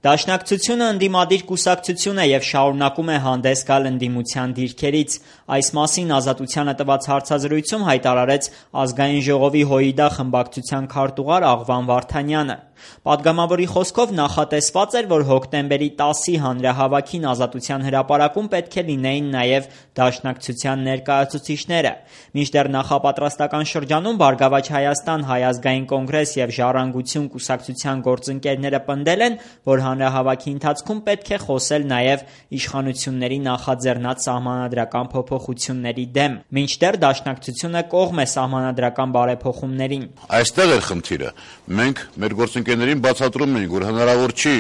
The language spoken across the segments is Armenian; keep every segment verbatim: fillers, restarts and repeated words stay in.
Դաշնակցությունը ընդդիմադիր կուսակցություն է եւ շարունակում է հանդես գալ ընդդիմության դիրքերից։ Այս մասին Ազատությանը տված հարցազրույցում հայտարարեց Ազգային ժողովի ՀՅԴ խմբակցության քարտուղար Աղվան Վարդանյանը։ Պատգամավորի խոսքով նախատեսված էր, որ հոկտեմբերի տասի հանրահավաքին Ազատության հրապարակում պետք է լինեին նաեւ Դաշնակցության ներկայացուցիչները։ Մինչդեռ նախապատրաստական շրջանում Բարգավաճ Հայաստան, Հայ ազգային կոնգրես եւ Ժառանգություն կուսակցության գործընկերները պնդել են, որ հանրահավաքի ընթացքում պետք է խոսել նաեւ իշխանությունների նախաձեռնած սահմանադրական փոփոխությունների դեմ։ Մինչդեռ Դաշնակցությունը կողմ է սահմանադրական բարեփոխումներին։ Այստեղ էր խնդիրը։ Մենք մեր գործընկերներին բացատրում ենք, որ հնարավոր չի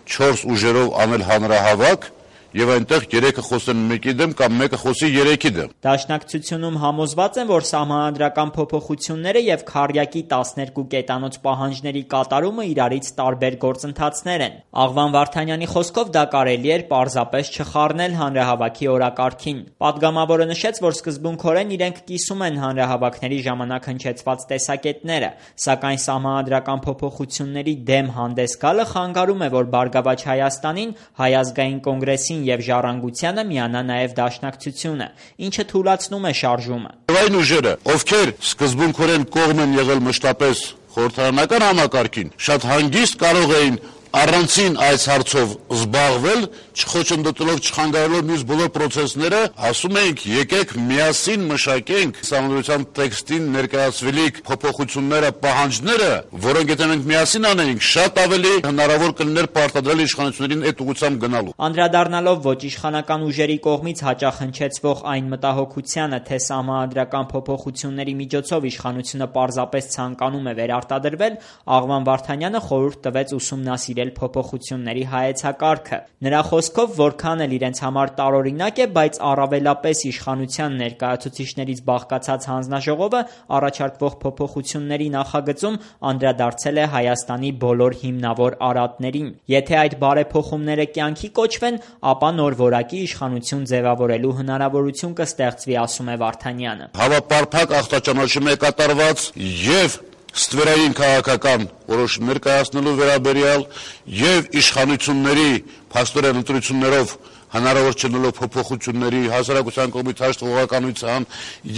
չորս ուժերով անել հանրահավաք եւ այնտեղ երեքը խոսեն մեկի դեմ կամ մեկը խոսի երեքի դեմ։ Դաշնակցությունում համոզված են, որ սահմանադրական փոփոխությունները եւ քառյակի տասներկու կետանոց պահանջների կատարումը իրարից տարբեր գործընթացներ են։ Աղվան Վարդանյանի խոսքով դա կարելի էր պարզապես չխառնել հանրահավաքի օրակարգին։ Պատգամավորը նշեց, որ սկզբունքորեն իրենք կիսում են հանրահավաքների ժամանակ հնչեցված տեսակետները, սակայն սահմանադրական փոփոխությունների դեմ հանդես գալը խանգարում է, որ Բարգավաճ Հայաստանին, Հայ ազգային կոնգրեսին եւ Ժառանգությանը միանա նաեւ Դաշնակցությունը, ինչը թույլատնում է շարժումը։ Այն ուժերը, ովքեր սկզբունքորեն կողմ են եղել մշտապես խորհրդարանական համակարգին, շատ հանգիստ կարող էին առանցին այս հարցով զբաղվել, չխոչընդոտելով, չխանգարելով մյուս բոլոր պրոցեսները, ասում ենք եկեք միասին մշակենք սահմանադրության տեքստին ներկայացվելիք փոփոխությունները, պահանջները, որոնք եթե մենք միասին անենք, շատ ավելի հնարավոր կլիներ պարտադրել իշխանություններին այդ ուղղությամբ գնալու։ Անդրադառնալով ոչ իշխանական ուժերի կողմից հաճախ հնչեցվող այն մտահոգությանը, թե սահմանադրական փոփոխությունների միջոցով իշխանությունը պարզապես ցանկանում է վերարտադրվել, Աղվան Վարդանյանը խորհուրդ տվեց ուսումնասիրել փոփոխությունների հայեցակարգը։ Նրա խոսքով, որքան էլ իրենց համար տարօրինակ է, բայց առավելապես իշխանության ներկայացուցիչներից բաղկացած հանձնաժողովը առաջարկվող փոփոխությունների նախագծում անդրադարձել է Հայաստանի բոլոր հիմնավոր արատներին։ Եթե այդ բարեփոխումները կյանքի կոչվեն, ապա նոր որակի իշխանություն ձևավորելու հնարավորություն կստեղծվի, ասում է Վարդանյանը։ Հավապարփակ ախտաճանաչում է կատարված եւ ստվերային քաղաքական որոշումներ կայացնելու վերաբերյալ եւ իշխանությունների փաստորեն ընտրություններով հնարավոր չնելով փոփոխությունների հասարակության կողմից հաշտվողականության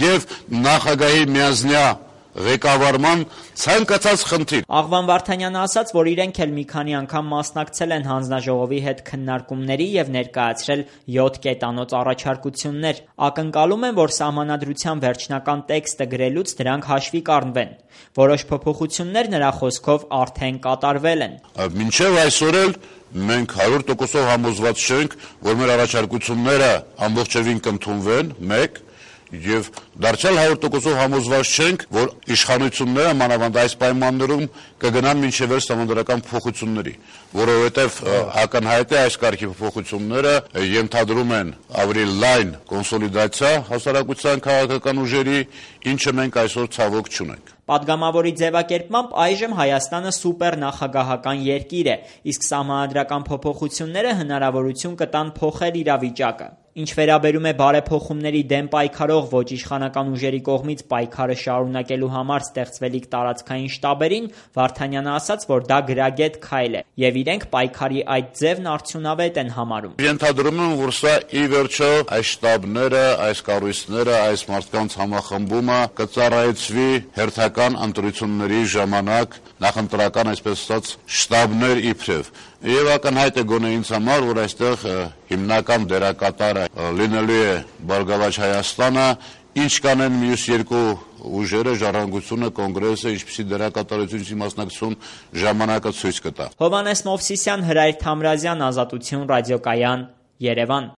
եւ նախագահի միազնյա ղեկավարման ցանկացած խնդիր։ Աղվան Վարդանյանը ասաց, որ իրենք էլ մի քանի անգամ մասնակցել են հանձնաժողովի հետ քննարկումների եւ ներկայացրել յոթ կետանոց առաջարկություններ։ Ակնկալում են, որ սահմանադրության վերջնական տեքստը գրելուց դրանք հաշվի կառնվեն։ Որոշ փոփոխություններ նրա խոսքով արդեն կատարվել են։ Մինչեւ այսօր էլ մենք հարյուր տոկոսով համոզված չենք, որ մեր առաջարկությունները ամբողջովին կընդունվեն, մեկ Եվ դարձյալ հարյուր տոկոսով համոզված չենք, որ իշխանությունները մանավանդ այս պայմաններում կգնան մինչև վերջ սահմանադրական փոփոխությունների, որովհետև ակնհայտ է այս կարգի փոփոխությունները ենթադրում են ավելի լայն կոնսոլիդացիա հասարակության քաղաքական ուժերի, ինչը մենք այսօր ցավոք չունենք։ Պատգամավորի ձևակերպմամբ այժմ Հայաստանը սուպեր նախագահական երկիր է, իսկ սահմանադրական փոփոխությունները հնարավորություն կտան փոխել իրավիճակը։ Ինչ վերաբերում է բարեփոխումների դեմ պայքարող ոչ իշխանական ուժերի կողմից պայքարը շարունակելու համար ստեղծվելիք տարածքային շտաբերին, Վարդանյանը ասաց, որ դա գրագետ քայլ է, եւ իրենք պայքարի այդ ձևն արդյունավետ են համարում։ Ենթադրում եմ, որ սա ի վերջո այս շտաբները, այս կառույցները, այս մարդկանց համախմբումը կծառայեցվի հերթական ընտրությունների ժամանակ նախընտրական, այսպես ասած, շտաբներ իբրև։ Եվ ակնհայտ է գոնե ինձ համար, որ այստեղ հիմնական դերակատարը լինելու է Բարգավաճ Հայաստանը, ինչ կանեն մյուս երկու ուժերը, Ժառանգությունը, Կոնգրեսը, ինչպիսի դերակատարություն մասնակցություն ժամանակը ցույց կտա։ Հովհաննես Մովսիսյան, Հրայր Թամրազյան, Ազատություն ռադիոկայան, Երևան։